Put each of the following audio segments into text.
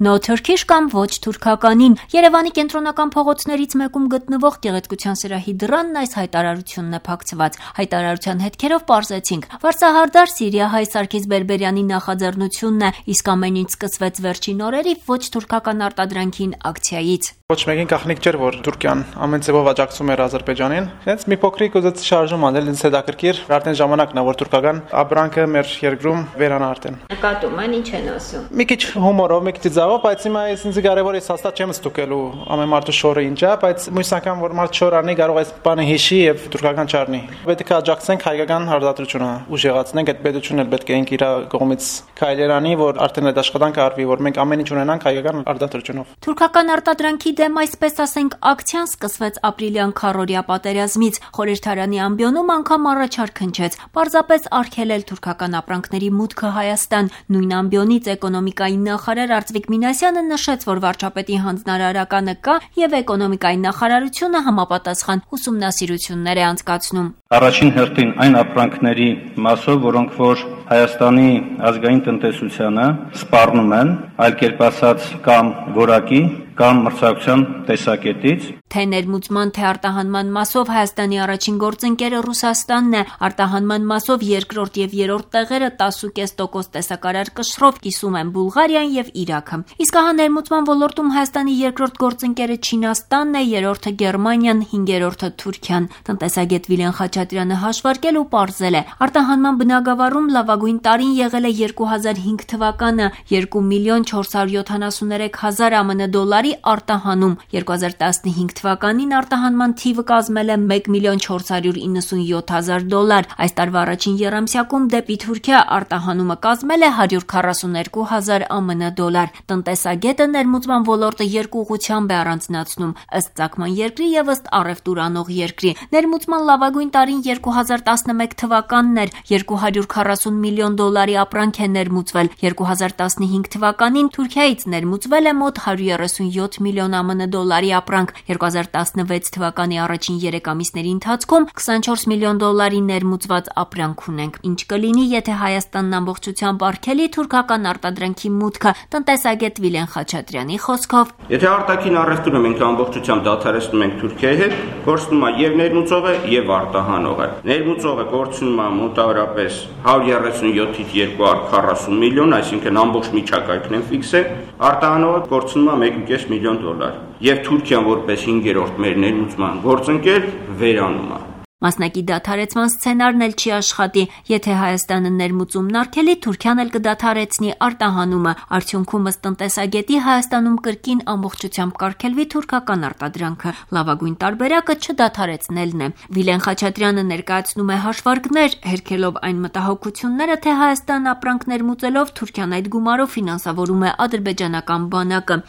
No Turkish կամ ոչ թուրքականին։ Երևանի կենտրոնական փողոցներից մեկում գտնվող գեղեցկության սրահի դռանն այս հայտարարությունն է փակցված։ Հայտարարության հետքերով պարզեցինք. վարձահարդար Սիրիահայ Սարգիս Բերբերյանի նախաձեռնությունն է, իսկ ամեն ինչ սկսվեց վերջին օրերի ոչ թուրքական արտադրանքին ակցիայից։ Ոչ մեկին գաղտնիք չէր, որ Թուրքիան ամեն ձևով աջակցում էր Ադրբեջանին։ Հենց մի փոքրիկ ուզեց շարժում անել, ինձ հետաքրքիր, արդեն ժամանակն է, որ թուրքական ապրանքը մեր երկրում վերանա արդեն։ Նկատում են, ինչ են ասում։ Մի քիչ հումորով, մի քիչ ձավով, բայց հիմա ինձ կարևոր է հաստատ չեմ ստուգելու ամեն մարդու շորը ինչ է, բայց մյուս անգամ որ մարդ շոր անի, կարող է այս բանը հիշի եւ թուրքական չառնի։ Պետք է աջակցենք հայկական հարդատրությունը, ուժեղացնենք, այդ պետությունն էլ պետք է ինք իր կողմից քայլեր անի, որ արդեն այդ աշխատանքը արվի, որ մենք ամեն ինչ ունենանք հայկական հարդատրությունով։ Թուրքական արտադրանքի դեմ, այսպես ասենք, ակցիան սկսվեց ապրիլյան քառօրյա պատերազմից։ Խորհրդարանի ամբիոնում անգամ առաջարկ հնչեց պարզապես արգելել թուրքական ապրանքների մուտքը Հայաստան։ Նույն ամբիոնից էկոնոմիկայի նախարար Արծվիկ Մինասյանը նշեց, որ վարչապետի հանձնարարականը կա եւ էկոնոմիկայի նախարարությունը համապատասխան ուսումնասիրություններ է անցկացնում։ Առաջին հերթին այն ապրանքների մասով, որոնք որ Հայաստանի ազգային տնտեսությանը սպառնում են, այլ կերպ ասած կամ որակի կամ մրցակցության տեսակետից։ Թե ներմուծման, թե արտահանման մասով Հայաստանի առաջին գործընկերը Ռուսաստանն է, արտահանման մասով երկրորդ եւ երրորդ տեղերը 10.5% տեսակարար կշռով կիսում են Բուլղարիան եւ Իրաքը։ Իսկ ահա ներմուծման ոլորտում Հայաստանի երկրորդ գործընկերը Չինաստանն է, երրորդը Գերմանիան, հինգերորդը Թուրքիան։ Տնտեսագետ Վիլեն Խաչատրյանը հաշվարկել ու պարզել է. արտահանման բնագավառում լավագույն տարին եղել է 2005 թվականը 2.473.000 ԱՄՆ դոլարի արտահանում, 2015 թվականին արտահանման թիվը կազմել է 1.497.000 դոլար, այս տարվա առաջին եռամսյակում դեպի Թուրքիա արտահանումը կազմել է 142.000 ԱՄՆ դոլար։ Տնտեսագետը ներմուծման ոլորտը երկու ուղղությամբ է առանձնացնում՝ ըստ ծագման երկրի եւ ըստ առևտուր անող երկրի։ Ներմուծման լավագույն տարին 2011 թվականն էր, 240 միլիոն դոլարի ապրանք է ներմուծվել, 2015 թվականին Թուրքիայից ներմուծվել է մոտ 137 միլիոն ԱՄՆ դոլարի ապրանք, 2016 թվականի առաջին 3 ամիսների ընթացքում 24 միլիոն դոլարի ներմուծված ապրանք ունենք։ Ինչ կլինի, եթե Հայաստանն ամբողջությամբ արգելի թուրքական արտադրանքի մուտքը, տնտեսագետ Վիլեն Խաչատրյանի խոսքով։ Եթե արտաքին առևտուրը մենք ամբողջությամբ դադարեցնում ենք Թուրքիայի հետ, կորցնում է եւ ներմուծողը եւ արտահանողը։ Ներմուծողը կորցնում է մոտավորապես 137-ից 240 միլիոն, այսինքն ամբողջ միջակայքն են ֆիքսել, արտահանողը կորցնում է 1.5 միլիոն դոլար։ Եվ Թուրքիան որպես 5-րդ մեր ներմուծման գործընկեր վերանում է։ Մասնակի դադարեցման սցենարն էլ չի աշխատի։ Եթե Հայաստանը ներմուծումն արգելի, Թուրքիան էլ կդադարեցնի արտահանումը։ Արդյունքում ըստ տնտեսագետի Հայաստանում կրկին ամբողջությամբ կարգելվի թուրքական արտադրանքը։ Լավագույն տարբերակը չդադարեցնելն է։ Վիլեն Խաչատրյանը ներկայացնում է հաշվարկներ, հերքելով այն մտահոգությունները, թե Հայաստան ապրանք ներմուծելով Թուրքիան այդ գումարով ֆինանսավորում է ադրբեջանական բանակը։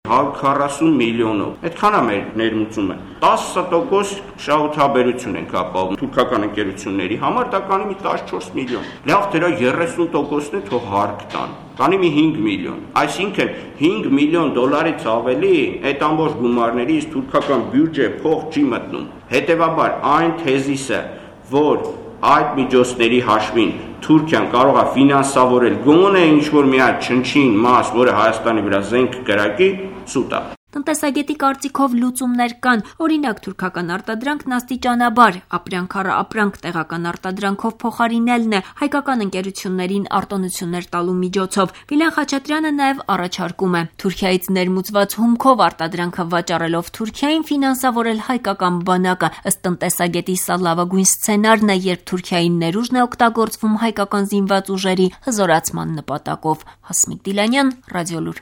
140 միլիոնով։ Այդքան է մեր ներմուծումը։ 10% շահութաբերություն ենք ապահովում թուրքական ընկերությունների համար, դա կանի մի 14 միլիոն։ Լավ, դրա 30%-ն է թող հարկ տան։ Կանի մի 5 միլիոն։ Այսինքն 5 միլիոն դոլարից ավելի այդ ամբողջ գումարներից թուրքական բյուջե փող չի մտնում։ Հետևաբար այն թեզիսը, որ այդ միջոցների հաշվին Թուրքիան կարող է ֆինանսավորել գոնե ինչ-որ մի հատ չնչին մաս, որը Հայաստանի վրա զենք կրակի, սուտ է։ Տնտեսագետի կարծիքով լուծումներ կան, օրինակ թուրքական արտադրանքն աստիճանաբար, ապրանք առ ապրանք տեղական արտադրանքով փոխարինելն է, հայկական ընկերություններին արտոնություններ տալու միջոցով։ Վիլեն Խաչատրյանը նաև առաջարկում է Թուրքիայից ներմուծված հումքով արտադրանքը վաճառելով Թուրքիային ֆինանսավորել հայկական բանակը։ Ըստ տնտեսագետի սա լավագույն սցենարն է, երբ Թուրքիայի ներուժն է օգտագործվում հայկական զինված ուժերի հզորացման նպատակով։ Հասմիկ Դիլանյան, Ռադիոլուր։